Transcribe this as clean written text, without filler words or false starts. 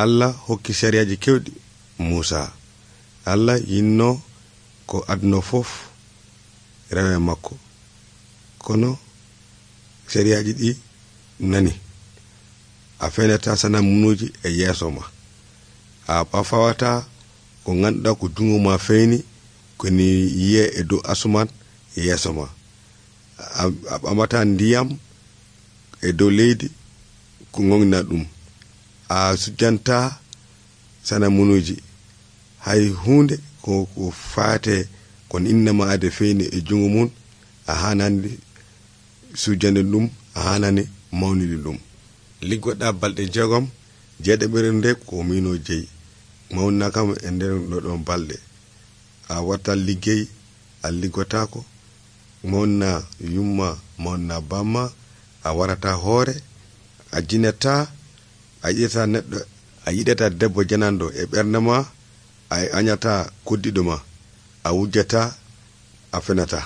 Allah hokki sariyaji kewɗi Musa. Allah yinno ko aduna fof rewe makko, kono sariyaji ɗi nani a fenata sana munuji e yeso ma, a fawata ko ganduɗa ko jungo ma feyni ko ni yiye e dow asuman e yeso ma, a ɓamata ndiyam e dow leydi ko gongna ɗum, a sujjanta sana munuji hay hunde ko fate kon innama ade feyni e jungo mun a hanandi sujjande ɗum, a hanani mawnidi ɗum. Liggoɗa balɗe 6 jeeɗiɓere nde ko mino jeyi mawna kam e nder ɗon balɗe, a watta liggey a liggotako, mawna yumma mawna bamma, a warata hoore, a jinetta, a yiɗata neɗɗo, a yiɗata debbo jananɗo e ɓernde ma, a añata koddiɗo ma, a wujjata, a fenata.